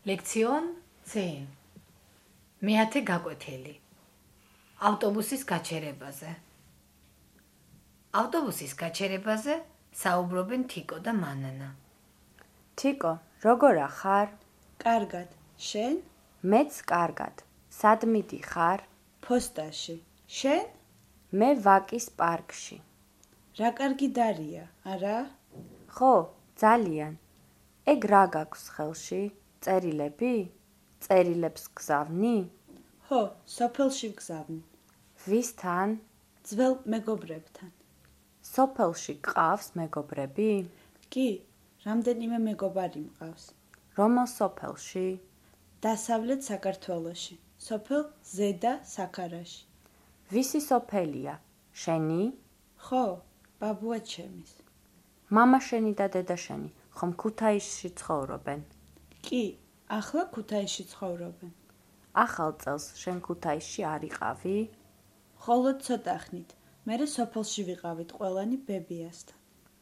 ლექციონ 10. მეათე გაკვეთილი. ავტობუსის გაჩერებაზე. ავტობუსის გაჩერებაზე საუბრობენ თიკო და მანანა. თიკო, როგორ ახარ? კარგად, შენ? მეც კარგად. სად მიდიხარ? ფოსტაში. შენ? მე ვაკის პარკში. რა კარგი დარია, არა? ხო, ძალიან. ეგ რა გაქვს ხელში? წერილები? წერილებს გზავნი? ხო, სოფელში ვგზავნი. ვისთან? ძველ მეგობრებთან. სოფელში გყავს მეგობრები? კი, რამდენიმე მეგობარი მყავს. რომელ სოფელში? დასავლეთ საქართველოში, სოფელ ზედა საქარაში. ვისი სოფელია? შენი? ხო, ბაბუა ჩემის. მამა შენი და დედა შენი ხომ ქუთაისში ცხოვრობენ? კი, ახლა ქუთაისში ცხოვრობენ. ახალ წელს შენ ქუთაისში არ იყავი? მხოლოდ ცოტა ხნით, მერე სოფელში ვიყავით ყველანი ბებიასთან.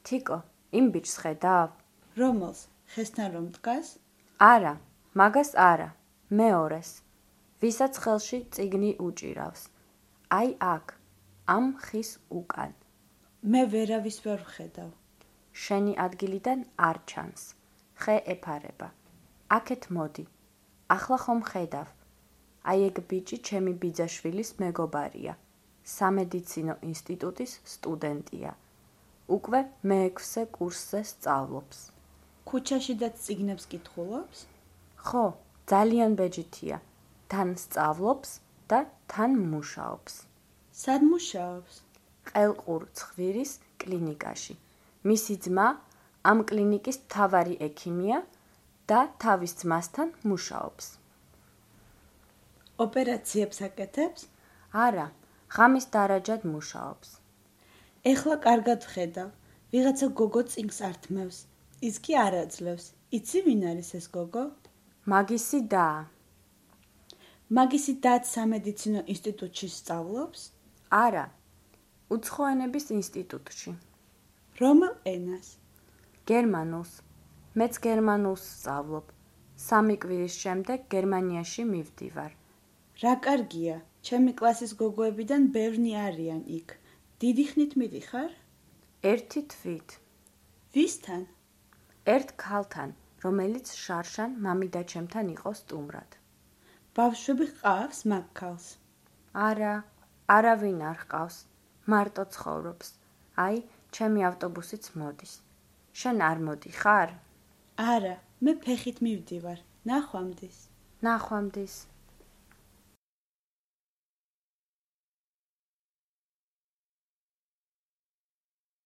თიკო, იმ ბიჭს ხედავ? რომელს? ხესთან რომ დგას? არა, მაგას არა, მეორეს, ვისაც ხელში წიგნი უჭირავს. აი აქ, ამ ხის უკან. მე ვერავის ვერ ვხედავ. შენი ადგილიდან არ ჩანს, ხე ეფარება. აქეთ მოდი, ახლა ხომ ხედავ. აი ეგ ბიჭი ჩემი ბიძაშვილის მეგობარია, სამედიცინო ინსტიტუტის სტუდენტია. უკვე მე-6 კურსზე სწავლობს. ქუჩაშიდაც წიგნებს კითხულობს? ხო, ძალიან ბეჯითია. თან სწავლობს და თან მუშაობს. სად მუშაობს? ყელყურ ცხვირის კლინიკაში. მისი ძმა ამ კლინიკის მთავარი ექიმია და თავის ძმასთან მუშაობს. ოპერაციებს აკეთებს? არა, ღამის დარაჯად მუშაობს. ეხლა კარგად ვხედავ, ვიღაცა გოგო წიგნს ართმევს. ის კი არ აძლევს. იცი ვინ არის ეს გოგო? მაგისი და. მაგისი დაც სამედიცინო ინსტიტუტში სწავლობს? არა, უცხო ენების ინსტიტუტში. რომელ ენას? გერმანულს. მეც გერმანულს სწავლობ. 3 კვირის შემდეგ გერმანიაში მივდივარ. რა კარგია, ჩემი კლასის გოგოებიდან ბევრი არიან იქ. დიდი ხნით მიდიხარ? ერთი თვით. ვისთან? ერთ ქალთან, რომელიც შარშან მამიდაჩემთან იყო სტუმრად. ბავშვები ჰყავს მაგ ქალს? არა, არავინ არ ჰყავს. მარტო ცხოვრობს. აი, ჩემი ავტობუსიც მოდის. შენ არ მოდიხარ? არა, მე ფეხით მივდივარ. ნახვამდის. ნახვამდის.